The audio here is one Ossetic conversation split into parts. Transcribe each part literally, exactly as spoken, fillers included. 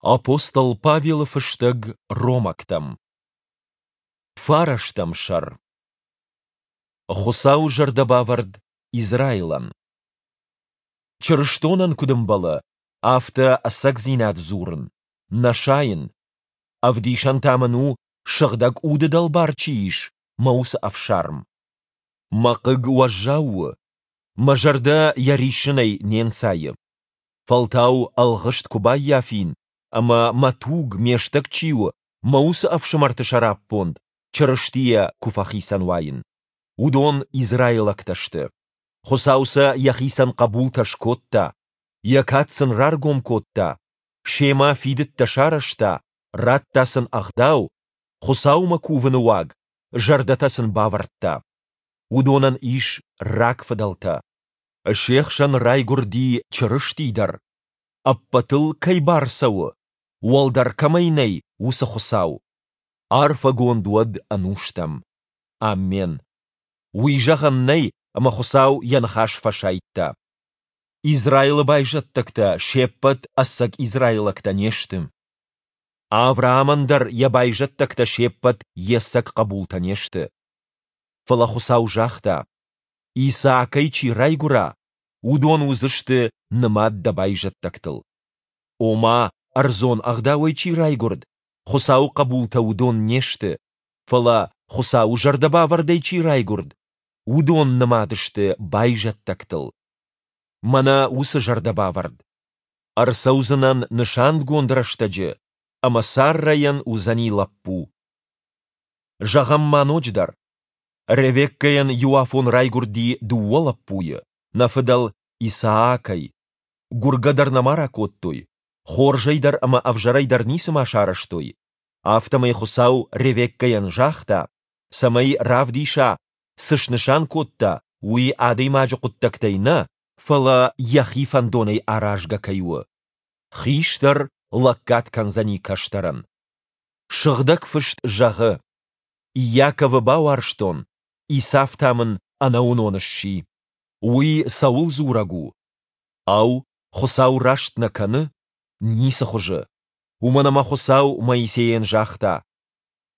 Апостол Павелы фыстӕг Ромӕгтӕм. Фарӕстӕм сӕр. Хуыцауы зӕрдӕбавӕрд Израилӕн. Чырыстонӕн куыд ӕмбӕлы, афтӕ ӕцӕгдзинад дзурын, нӕ сайын. Ӕвдисӕн та мын у, Сыгъдӕг Уды дӕлбар чи ис, мӕ уыцы ӕфсарм. Мӕ хъыг уӕззау у, мӕ зӕрдӕ йӕ риссынӕй не нцайы. Фӕлтау ӕлгъыст куы баййафин ӕмӕ мӕ туг, ме стӕг чи у, мӕ уыцы ӕфсымӕрты сӕраппонд Чырыстийӕ куы фӕхицӕн уаин. Уыдон израилӕгтӕ сты. Хуыцау сӕ йӕхицӕн хъӕбултӕ скодта, йӕ кад сын раргом кодта, семӕ фидыдтӕ сарӕзта, радта сын ӕгъдау, Хуыцаумӕ кувыны уаг, зӕрдӕтӕ сын бавӕрдта. Уыдонӕн ис рагфыдӕлтӕ. Се хсӕн райгуырди Чырысти дӕр, ӕппӕтыл кӕй бар цӕуы, уӕлдӕр кӕмӕй нӕй, уыцы Хуыцау. Арфӕгонд уӕд ӕнустӕм. Аммен. Уый зӕгъӕн нӕй, ӕмӕ Хуыцау йӕ ныхас фӕсайдта. Израилы байзӕддӕгтӕ се ппӕт ӕцӕг израилӕгтӕ не сты. Авраамӕн дӕр йӕ байзӕддӕгтӕ се ппӕт йе цӕг хъӕбултӕ не сты. Фӕлӕ Хуыцау загъта: Исаакӕй чи райгуыра, уыдон уыдзысты нымад дӕ байзӕддӕгтыл. Ома, ӕрдзон ӕгъдауӕй чи райгуырд, Хуыцауы хъӕбултӕ уыдон не сты, фӕлӕ, Хуыцауы зӕрдӕбавӕрдӕй чи райгуырд, уыдон нымад сты байзӕддӕгтыл. Мӕнӕ уыцы зӕрдӕбавӕрд: Ӕрцӕудзынӕн нысангонд рӕстӕджы, ӕмӕ Саррӕйӕн уыдзӕни лӕппу. Зӕгъӕм ма ноджыдӕр: Ревеккӕйӕн иуафон райгуырди дыууӕ лӕппуйы, нӕ фыдӕл Исаакӕй. Гуыргӕ дӕр нӕма ракодтой, хорзӕй дӕр ӕмӕ ӕвзӕрӕй дӕр ницыма сарӕзтой, афтӕмӕй Хуыцау Ревеккӕйӕн загъта, цӕмӕй равдиса, цы снысан кодта, уый адӕймаджы хъуыддӕгтӕй нӕ, фӕлӕ йӕхи фӕндонӕй аразгӕ кӕй у. Хистӕр лӕггад кӕндзӕни кӕстӕрӕн. Сыгъдӕг Фыст зӕгъы: Иаковы бауарзтон, Исав та мын ӕнӕуынон сси. Уый цӕуыл дзурӕг у? Ау, Хуыцау раст нӕ кӕны? Ницы хуызы! Уымӕн ӕмӕ Хуыцау Моисейӕн загъта: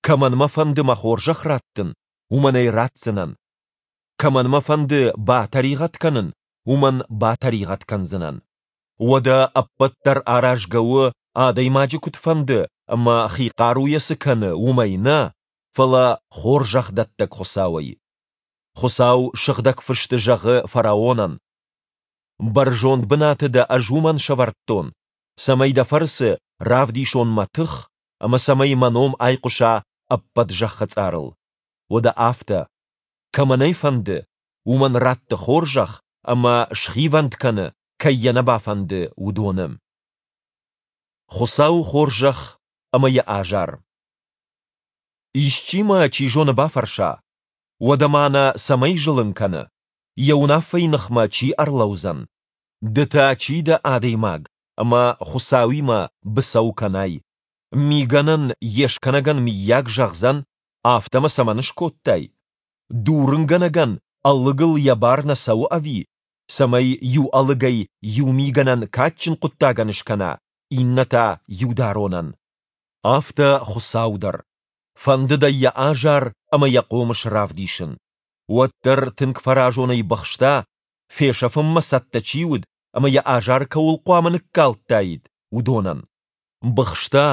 Кӕмӕн мӕ фӕнды мӕ хорзӕх раттын, уымӕн ӕй ратдзынӕн. Кӕмӕн мӕ фӕнды батӕригъӕд кӕнын, уымӕн батӕригъӕд кӕндзынӕн. Уӕдӕ ӕппӕт дӕр аразгӕ у, адӕймаджы куыд фӕнды ӕмӕ хи хъаруйӕ цы кӕны, уымӕй нӕ, фӕлӕ хорзӕхдӕттӕг Хуыцауӕй. Хуыцау Сыгъдӕг Фысты зӕгъы фараонӕн: Бӕрзонд бынаты дӕ ӕз уымӕн сӕвӕрдтон, цӕмӕй дӕ фӕрцы равдисон мӕ тых ӕмӕ цӕмӕй мӕ ном айхъуыса ӕппӕт зӕххы цъарыл. Уӕдӕ афтӕ, кӕмӕн ӕй фӕнды, уымӕн ратты хорзӕх ӕмӕ схивӕнд кӕны, кӕй йӕ нӕ бафӕнды, уыдоны. Хуыцауы хорзӕх ӕмӕ йӕ азар. Исчи мӕ, чи зоны, бафӕрса, уӕдӕ ма нӕ цӕмӕй зылын кӕны, йӕ уынаффӕйы ныхмӕ чи ӕрлӕудзӕн? Ды та чи дӕ, адӕймаг, ӕмӕ Хуыцауимӕ быцӕу кӕнай? Мигӕнӕн йе скӕнӕгӕн мыййаг зӕгъдзӕн, афтӕ мӕ цӕмӕн скодтай? Дурынгӕнӕгӕн ӕлыгыл йӕ бар нӕ цӕуы ӕви, цӕмӕй иу ӕлыгӕй иу мигӕнӕн кадджын хъуыддагӕн скӕна, иннӕ та иударонӕн? Афтӕ Хуыцау дӕр. Фӕндыд ӕй йӕ азар ӕмӕ йӕ хъомыс равдисын. Уӕддӕр тынг фӕразонӕй быхста, фесӕфынмӕ цӕттӕ чи уыд ӕмӕ йӕ азар кӕуыл хъуамӕ ныккалдтаид, уыдонӕн. Быхста,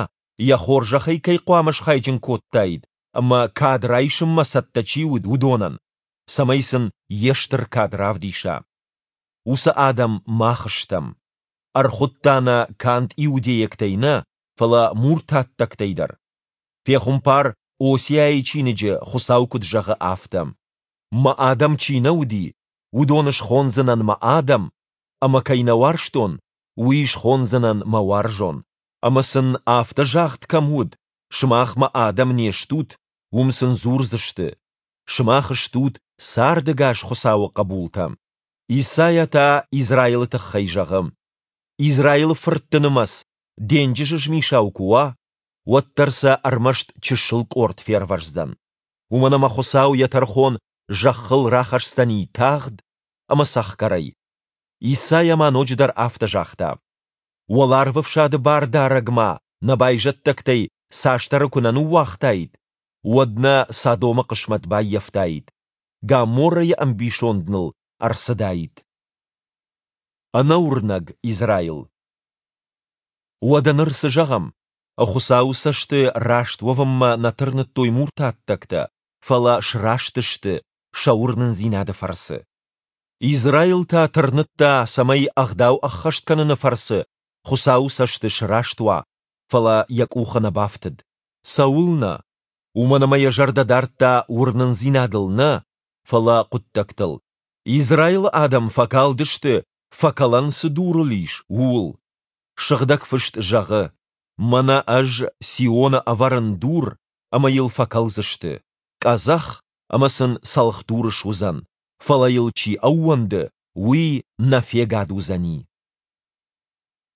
йӕ хорзӕхӕй кӕй хъуамӕ схайджын кодтаид ӕмӕ кад райсынмӕ цӕттӕ чи уыд, уыдонӕн, цӕмӕй сын йе стыр кад равдиса. Уыцы адӕм мах стӕм. Ӕрхуыдта нӕ канд иудейӕгтӕй нӕ, фӕлӕ муртаттӕгтӕй дӕр. Пехуымпар Осиайы чиныджы Хуыцау куыд зӕгъы, афтӕ: Мӕ адӕм чи нӕ уыди, уыдоны схондзынӕн мӕ адӕм, ӕмӕ кӕй нӕ уарзтон, уый схондзынӕн мӕ уарзон. Ӕмӕ сын афтӕ загъд кӕм уыд, сымах мӕ адӕм не стут, уым сын дзурдзысты: сымах стут цардӕгас Хуыцауы хъӕбултӕ. Исайа та Израилы тыххӕй зӕгъы: Израилы фыртты нымӕц денджызы змисау куы уа, уӕддӕр сӕ ӕрмӕст чысыл къорд фервӕздзӕн. Уымӕн ӕмӕ Хуыцау йӕ тӕрхон зӕххыл рахӕсдзӕни тагъд ӕмӕ цӕхгӕрӕй. Исайа ма ноджыдӕр афтӕ загъта: Уӕларвӕфсады Бардарӕг ма нӕ байзӕддӕгтӕй цасдӕры куы нӕ ныууагътаид, уӕд нӕ Содомы хъысмӕт баййӕфтаид, Гоморрӕйы ӕмбисонд ныл ӕрцыдаид. Ӕнӕуырнӕг Израил. Уӕдӕ ныр цы зӕгъӕм? Хуыцауы цӕсты раст уӕвынмӕ нӕ тырныдтой муртаттӕгтӕ, фӕлӕ сраст сты сӕ уырнындзинады фӕрцы. Израил та тырныдта, цӕмӕй Ӕгъдау ӕххӕст кӕныны фӕрцы Хуыцауы цӕсты сраст уа, фӕлӕ йӕ къухы нӕ бафтыд. Цӕуылнӕ? Уымӕн ӕмӕ йӕ зӕрдӕ дардта уырнындзинадыл нӕ, фӕлӕ хъуыддӕгтыл. Израилы адӕм фӕкалдысты, фӕкӕлӕн цы дурыл ис, ууыл. Сыгъдӕг Фыст зӕгъы: Мӕнӕ Ӕз Сионы ӕвӕрын дур, ӕмӕ йыл фӕкӕлдзысты, къӕдзӕх, ӕмӕ сын цӕлхдур суыдзӕн, фӕлӕ йыл чи ӕууӕнды, уый нӕ фегад уыдзӕни.